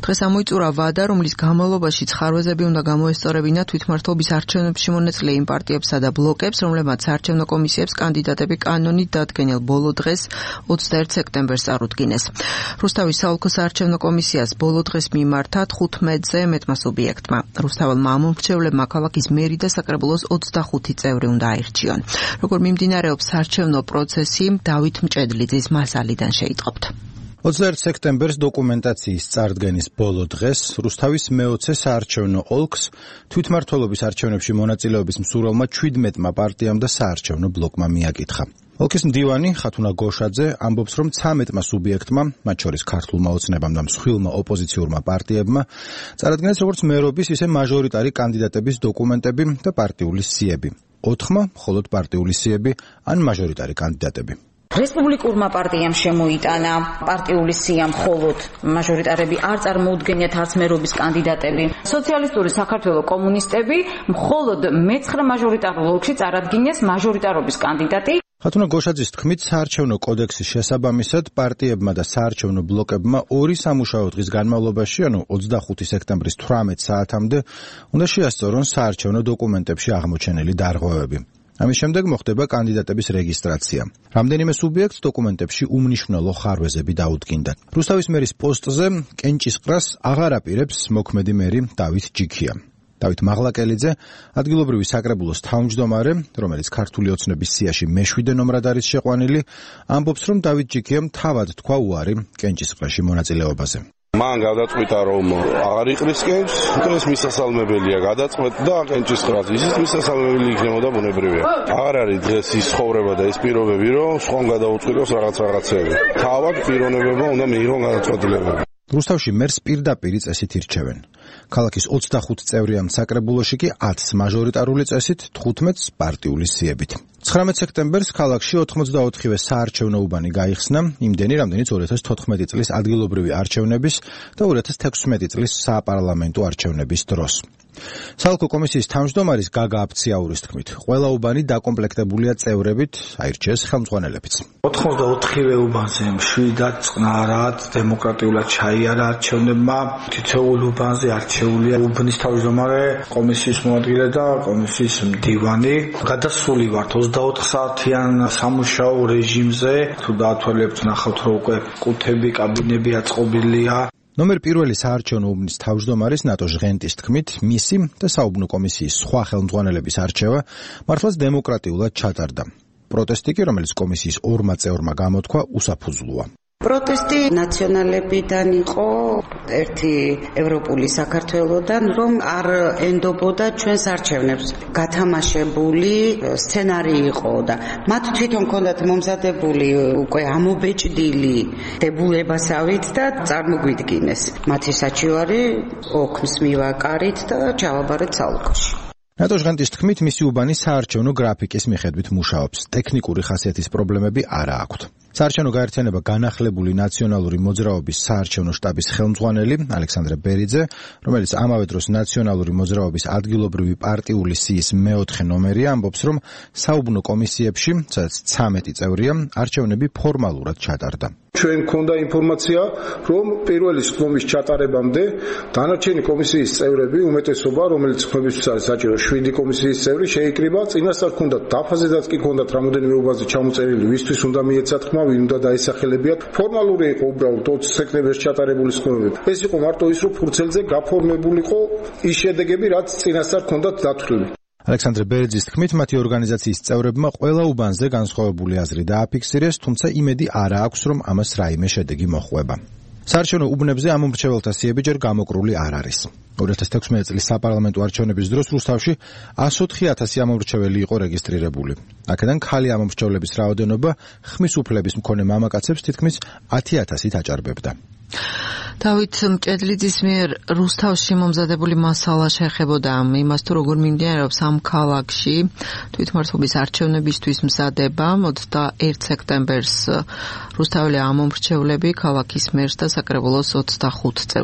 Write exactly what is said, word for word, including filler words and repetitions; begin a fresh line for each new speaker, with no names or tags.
დღეს ამოიწურა ვადა, რომლის განმავლობაში ხარვეზები უნდა გამოესწორებინათ თვითმმართველობის არჩევნებში მონაწილე იმ პარტიებსა და ბლოკებს, რომლებმაც საარჩევნო კომისიებს კანდიდატები კანონით დადგენილ ბოლო დღეს ოცდაერთ სექტემბერს წარუდგინეს. რუსთავის საოლქო საარჩევნო კომისიას ბოლო დღეს მიმართა თხუთმეტზე მეტმა სუბიექტმა. რუსთაველმა ამომრჩევლებმა ქალაქის მერი და საკრებულოს ოცდახუთი წევრი უნდა აირჩიონ. როგორ მიმდინარეობს საარჩევნო პროცესი, დავით მჭედლიძის მასალიდან შეიტყობთ.
ოცდაერთ სექტემბერს დოკუმენტაციის წარდგენის ბოლო დღეს რუსთავის მეოცე საარჩევნო ოლქს თვითმმართველობის არჩევნებში მონაწილეობის მსურველმა ჩვიდმეტმა პარტიამ და საარჩევნო ბლოკმა მიაკითხა. ოლქის მდივანი ხათუნა გოშაძე ამბობს, რომ ცამეტმა სუბიექტმა, მათ შორის ქართულმა ოცნებამ და მსხვილმა ოპოზიციურმა პარტიებმა, წარადგინეს როგორც მერობის, ისე მაჟორიტარი კანდიდატების დოკუმენტები და პარტიული სიები. ოთხმა მხოლოდ პარტიული სიები ან მაჟორიტარი კანდიდატები.
რესპუბლიკურმა პარტიამ შემოიტანა პარტიული სია მხოლოდ, მაჟორიტარები არ წარმოუდგენიათ არც მერობის კანდიდატები. სოციალისტური საქართველოს კომუნისტები მხოლოდ მეცხრე მაჟორიტარულ ოლქში წარადგინეს მაჟორიტარობის კანდიდატი.
ხათუნა გოშაძის თქმით, საარჩევნო კოდექსის შესაბამისად პარტიებმა და საარჩევნო ბლოკებმა ორი სამუშაო დღის განმავლობაში, ანუ ოცდახუთი სექტემბრის თვრამეტ საათამდე, უნდა შეასწორონ საარჩევნო დოკუმენტებში აღმოჩენილი დარღვევები. ამის შემდეგ მოხდება კანდიდატების რეგისტრაცია. რამდენიმე სუბიექტს დოკუმენტებში უმნიშვნელო ხარვეზები დაუდგინდა. რუსთავის მერის პოსტზე კენჭისყრას აღარ აპირებს მოქმედი მერი დავით ჯიქია. დავით მაღლაკელიძე, ადგილობრივი საკრებულოს თავმჯდომარე, რომელიც ქართული ოცნების სიაში მეშვიდე ნომრად არის შეყვანილი, ამბობს, რომ დავით ჯიქიამ თავად თქვა უარი კენჭისყრაში მონაწილეობაზე.
მან გადაწყვიტა, რომ აღარ იყრის კენჭს, ეს მისასალმებელია, გადაწყვეტ და კენჭისყრას ისიც მისასალმებელი იქნებოდა ბუნებრივია. აღარ არის დღეს ის ცხოვრება და ის პირობები, რომ სხვამ გადაუწყიროს რაღაც რაღაცები. თავად პიროვნებებმა უნდა მიიღონ გადაწყვეტილებები.
რუსთავში მერს პირდაპირ წესით ირჩევენ. ქალაქის ოცდახუთ წევრიან საკრებულოში კი ათს მაჟორიტარული წესით, თხუთმეტს პარტიული სიებით. ცხრამეტ სექტემბერს ქალაქში ოთხმოცდაოთხივე საარჩევნო უბანი გაიხსნა, იმდენი, რამდენიც ორი ათას თოთხმეტი წლის ადგილობრივი არჩევნების და ორი ათას თექვსმეტი წლის საპარლამენტო არჩევნების დროს. საოლქო კომისიის თავმჯდომარის გაგა აფციაურის თქმით, ყველა უბანი დაკომპლექტებულია წევრებით, აირჩიეს ხელმძღვანელებიც.
ოთხმოცდაოთხივე უბანზე მშვიდად წყნარად დემოკრატიულად ჩაიარა არჩევნებმა. თითოეულ უბანზე არჩეულია უბნის თავმჯდომარე, კომისიის მოადგილე და კომისიის მდივანი. გადასული ვართ ოცდაოთხ საათიან სამუშაო რეჟიმზე. თუ დაათვალებთ, ნახავთ, რომ უკვე კუთები, კაბინები აწყობილია.
ნომერ პირველი საარჩევნო უბნის თავმჯდომარის ნატო ჟღენტის თქმით, მისი და საუბნო კომისიის სხვა ხელმძღვანელების არჩევა მართლაც დემოკრატიულად ჩატარდა. პროტესტი კი, რომელიც კომისიის ორმა წევრმა გამოთქვა, უსაფუძვლოა.
პროტესტი ნაციონალებიდან იყო, ერთი ევროპული საქართველოდან, რომ არ ენდობოდა ჩვენს არჩევნებს. გათამაშებული სცენარი იყო და მათ თვითონ ჰქონდათ მომზადებული უკვე ამობეჭდილი დებულებასავით და წარმოგვიდგინეს. მათი საჩივარი ოქმს მივაკარით და ჩავაბარეთ საოლქოში.
ნატო ჟღენტის თქმით, მისი უბანი საარჩევნო გრაფიკის მიხედვით მუშაობს. ტექნიკური ხასიათის პრობლემები არა აქვთ. საარჩევნო გაერთიანება განახლებული ნაციონალური მოძრაობის საარჩევნო შტაბის ხელმძღვანელი ალექსანდრე ბერიძე, რომელიც ამავე დროს ნაციონალური მოძრაობის ადგილობრივი პარტიული სიის მეოთხე ნომერია, ამბობს, რომ საუბნო კომისიებში, სადაც ცამეტი წევრია, არჩევნები ფორმალურად ჩატარდა.
ჩვენ გქონდა ინფორმაცია, რომ პირველი ხმის ჩატარებამდე დანარჩენი კომისიის წევრები, უმეტესობა, რომელიც ხმებისთვის არის საჭირო შვიდი კომისიის წევრი, შეიკრიბა. წინასწარ ჰქონდათ დაფაზედაც კი ჰქონდათ რამოდენიმე უბანზე ჩამოწერილი, ვისთვის უნდა მიეცათ ხმა, ვინ უნდა დაისახელებიათ. ფორმალური იყო უბრალოდ ოცი სექტემბერს ჩატარებული ხმები. ეს იყო მარტო ის, რომ ფურცელზე გაფორმებულიყო ის შედეგები, რაც წინასწარ ჰქონდათ დათვლილი.
ალექსანდრე ბერიძის თქმით, მათი ორგანიზაციის წევრებმა ყველა უბანზე განსხვავებული აზრი დააფიქსირეს, თუმცა იმედი არ აქვს, რომ ამას რაიმე შედეგი მოჰყვება. საარჩევნო უბნებზე ამომრჩეველთა სიები ჯერ გამოკრული არ არის. ორი ათას თექვსმეტი წლის საპარლამენტო არჩევნების დროს რუსთავში εκατს ოთხი ათასი ამომრჩეველი იყო რეგისტრირებული. აქედან ქალი ამომრჩევლების რაოდენობა ხმის უფლების მქონე მამაკაცებს თითქმის ათი ათასით აჭარბებდა.
დავით მჭედლიძის მიერ რუსთავში მომზადებული მასალა შეეხებოდა იმას, თუ როგორ მიმდინარეობს ამ ქალაქში თვითმმართველობის არჩევნებისთვის მზადება. ოცდაერთ სექტემბერს რუსთაველი ამომრჩევლები ქალაქის მერს და საკრებულოს ოცდახუთ წევრს